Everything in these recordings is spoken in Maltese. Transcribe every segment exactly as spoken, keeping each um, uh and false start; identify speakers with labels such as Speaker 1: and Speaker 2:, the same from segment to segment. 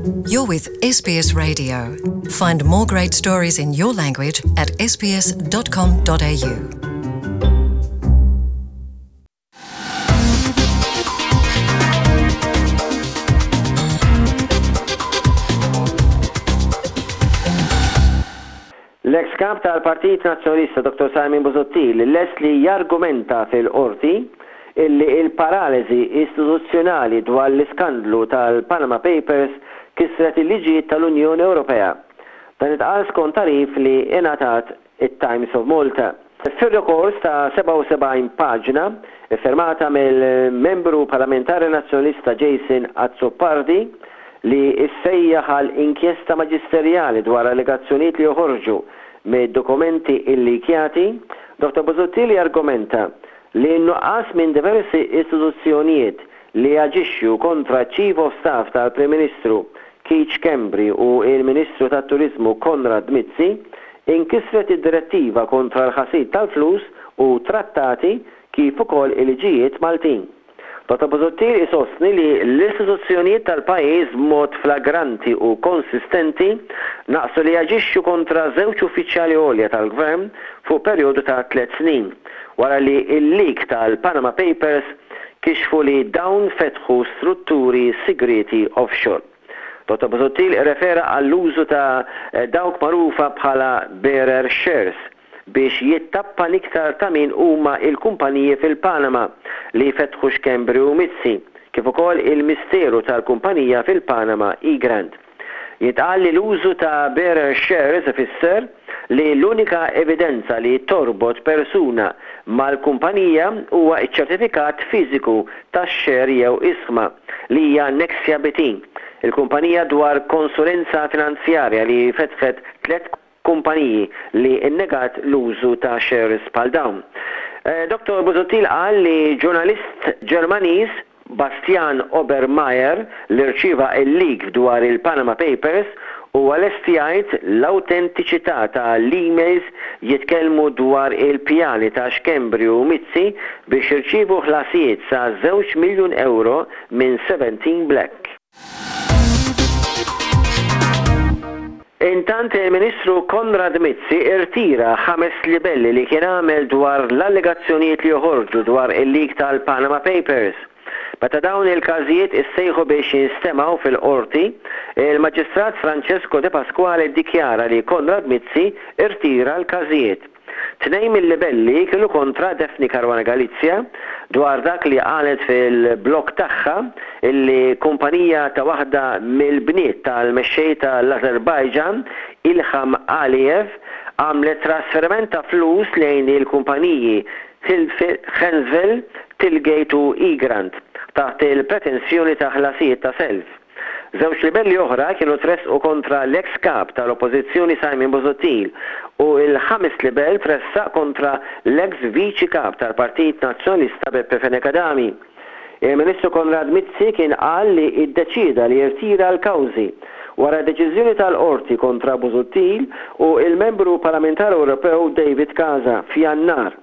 Speaker 1: You're with S B S Radio. Find more great stories in your language at S B S dot com dot A U.
Speaker 2: L-ex kap tal-Partit Nazzjonalista Doktor Simon Busuttil lest li jargumenta fil-qorti illi il-paralisi istituzzjonali dwar l-iskandlu tal-Panama Papers kisret il-liġijiet tal-Unjoni Ewropea. Dan intqal skont tagħrif li ingħatat it-Times of Malta. Fir-rikors ta' sebgħa u sebgħin paġna, iffirmata mill-membru parlamentari nazzjonalista Jason Azzopardi, li issejjaħ għal inkjesta maġisterjali dwar allegazzjonijiet li joħorġu mid-dokumenti illikjati, Doktor Busuttil argumenta li n-nuqqas minn diversi istituzzjonijiet li jaġixxu kontra Chief of Staff tal-Prim Ministru Keith Schembri u il-Ministru tat-Turizmu Konrad Mizzi inkisret id-direttiva kontra l-ħasil tal-flus u trattati kif ukoll il-liġijiet Maltin. Doktor Busuttil isostni li l-istituzzjonijiet tal-pajjiż b'mod flagranti u konsistenti naqsu li jaġixxu kontra żewġ uffiċjali għolja tal-gvern fuq perjodu ta' tliet snin wara li il-leak tal-Panama Papers kixfu li dawn fetħu strutturi segreti offshore. Doktor Busuttil refera għall-użu ta' dawk magħrufa bħala bearer shares biex jittappa iktar ta' min huma il-kumpaniji fil-Panama li fetħu Schembri u Mizzi, kif ukoll il-misteru tal-kumpanija fil-Panama Egrant. Jitqal li l-użu ta' bearer shares ifisser li l-unika evidenza li torbot persuna mal-kumpanija huwa ċ-ċertifikat fiżiku tax-share jew isma li hija Nexia B T, il-kumpanija dwar konsulenza finanzjarja li fetħet tliet kumpaniji li innegat l-użu ta' shares bħal dawn. Eh, Doktor Busuttil qal li ġurnalist Ġermaniż Bastian Obermayer, li rċieva il-leak dwar il-Panama Papers, u lest jgħid l-autentiċità ta' l-emails jitkellmu dwar il-pjani ta' Schembri u Mizzi biex jirċievu ħlasijiet sa' żewġ miljun euro minn seventeen Black. Intant, il-Ministru Konrad Mizzi irtira ħames libelli li kien għamel dwar l-allegazzjonijiet li joħorġu dwar il-leak tal-Panama Papers. Meta dawn il-każijiet issejħu biex jinstemaw fil-qorti, il-Maġistrat Francesco De Pasquale dikjara li Konrad Mizzi irtira l-każijiet. Tnejn mill-libelli kienu kontra Daphne Caruana Galizia dwar dak li qalet fil-blog tagħha illi kumpanija ta' waħda mill-bniet tal-mexxej tal-Azerbajġan Ilham Aliyev għamlet trasferiment ta' flus lejn il-kumpaniji Hensville, Tillgate u Egrant taħt il-pretensjoni ta' ħlasijiet ta' self. Żewġ libelli oħra kienu tressqu kontra l-ex kap tal-Oppożizzjoni Simon Busuttil u il-ħames libell tressaq kontra l-ex viċi kap tal-Partit Nazzjonalista Beppe Fenech Adami. Il-Ministru Konrad Mizzi kien qal li iddeċida li jirtira l-kawżi wara deċiżjoni tal-qorti kontra Busuttil u il-membru parlamentari Ewropew David Casa f'Jannar.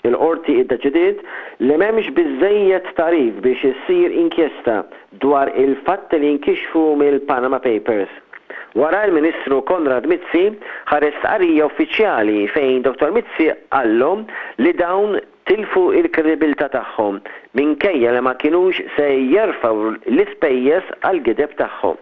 Speaker 2: Il-qorti iddeċidiet li m'hemmx biżejjed tagħrif biex issir inkjesta dwar il-fatti li nkixfu mill-Panama Papers. Wara, il-Ministru Konrad Mizzi ħareġ stqarrija uffiċjali fejn Doktor Mizzi qallhom li dawn tilfu il-kredibilità tagħhom minkejja li ma kinux se jerfgħu l-ispejjeż għal-gideb tagħhom.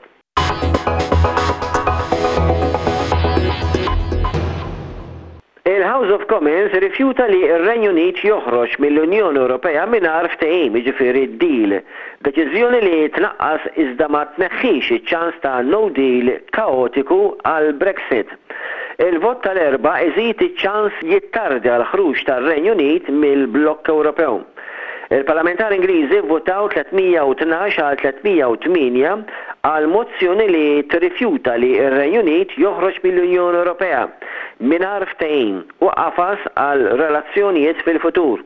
Speaker 2: Il-House of Commons rifjuta li r-Renju Unit joħroġ mill-Unjoni Ewropea mingħajr ftehim, jiġifieri deal. Deċiżjoni li tnaqqas iżda ma tneħħix iċ-ċans ta' no deal kaotiku għal Brexit. Il-vot tal-Erbgħa iżid iċ-ċans jittardja l-ħruġ tar-Renju Unit mill-Blokk Ewropew. Il-parlamentari Ingliżi votaw tliet mija u tnax għal tliet mija u tmienja għal mozzjoni li tirrifjuta li r-Renju Unit joħroġ mill-Unjoni Ewropea mingħajr ftehim u qafas għal relazzjonijiet fil-futur.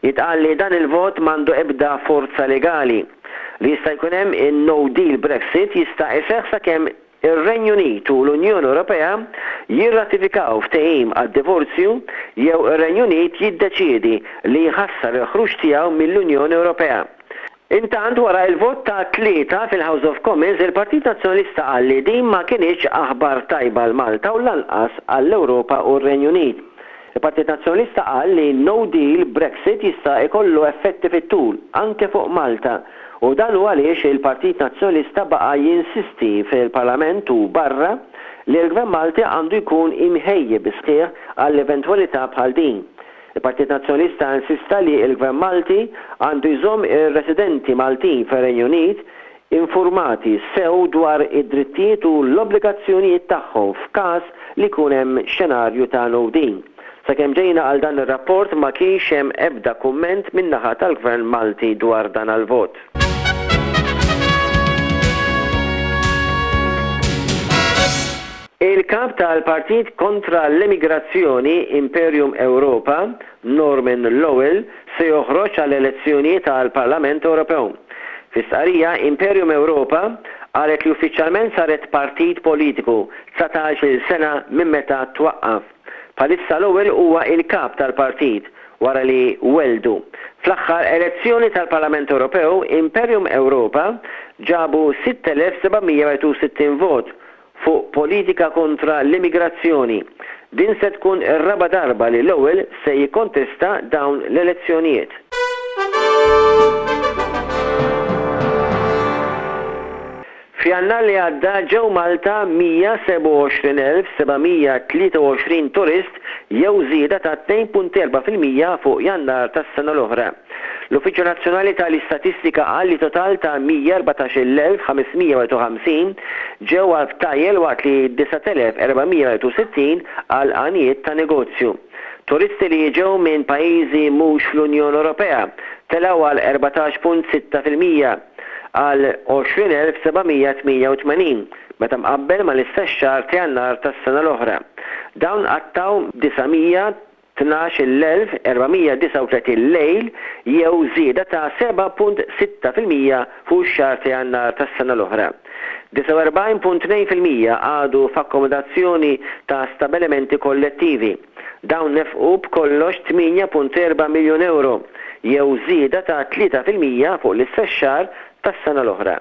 Speaker 2: Jitqal li dan il-vot m'għandu ebda forza legali. Li jista' jkun hemm in-no deal Brexit jista' iseħħ sakemm ir-Renju Unit u l-Unjoni Ewropea jirratifikaw ftehim għad-divorzju jew ir-Renju Unit jiddeċiedi li jħassar il-ħruġ tiegħu mill-Unjoni Ewropea. Intant, wara il-vot ta' tlieta fil-House of Commons, il-Partit Nazzjonalista qal li din ma kinitx aħbar tajba għal Malta u lanqas għall-Ewropa u r-Renju Unit. Il-Partit Nazzjonalista qal li no deal Brexit jista' ikollu effetti fit-tul anke fuq Malta u dan hu għaliex il-Partit Nazzjonalista baqa' jinsisti fil-Parlament u barra li l-Gvern Malti għandu jkun imħejji bis-sħiħ għall-eventwalità bħal din. Il-Partit Nazzjonalista insista li l-Gvern Malti għandu jżomm ir-residenti Maltin fir-Renju Unit informati sew dwar id-drittijiet u l-obbligazzjonijiet tagħhom f'każ li jkun hemm xenarju ta' no deal. Sakemm ġejna għal dan ir-rapport, ma kienx hemm ebda kumment min-naħa tal-Gvern Malti dwar dan il-vot. Il-kap tal-Partit kontra l-Emigrazzjoni Imperium Europa, Norman Lowell, se joħroġ għall elezzjoni tal-Parlament Ewropew. Fi stqarrija, Imperium Europa qalet li uffiċjalment saret partit politiku dsatax-il sena minn meta twaqqaf. Bħalissa Lowell huwa il-kap tal-partit wara li weldu. Fl-aħħar elezzjoni tal-Parlament Ewropew, Imperium Europa ġabu sitt elef seba' mija u sittin vot fuq politika kontra l-immigrazzjoni. Din se tkun ir-raba darba li Lowell se jikkontesta dawn l-elezzjonijiet. F'Jannar li għadda ġew Malta mija sebgħa u għoxrin elf seba' mija tlieta u għoxrin turist, jew żieda ta' tnejn punt erbgħa fil-mija fuq Jannar tas-sena l-oħra. L-Uffiċċju Nazzjonali tal-Istatistika qal li total ta' mija erbatax-il elf ħames mija u ħamsin ġew għal btajjel, waqt li disa' elef erba' mija u sittin għal għanijiet ta' negozju. Turisti li ġew minn pajjiżi mhux fl-Unjoni Ewropea telgħu għal erbatax punt sitta fil-mija għal għoxrin elf seba' mija tmienja u tmenin meta mqabbel ma l-istess xahar ta' Jannar tas-sena l-oħra. Dawn qattgħu disa' mija tnax-il elf erba' mija disgħa u tletin lejl, jew żieda ta' seba' punt sitta fil-mija fuq ix-xahar ta' Jannar tas-sena l-oħra. disgħa u erbgħin punt tnejn fil-mija qagħdu f'akkomodazzjoni ta' stabilimenti kollettivi. Dawn nefqu b'kollox tmienja punt erba' miljun euro, jew żieda ta' tlieta fil-mija fuq l-istess xahar tas-sena l-oħra.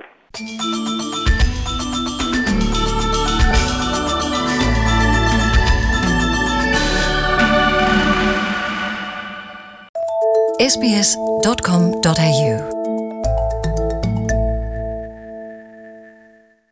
Speaker 1: S B S dot com dot A U.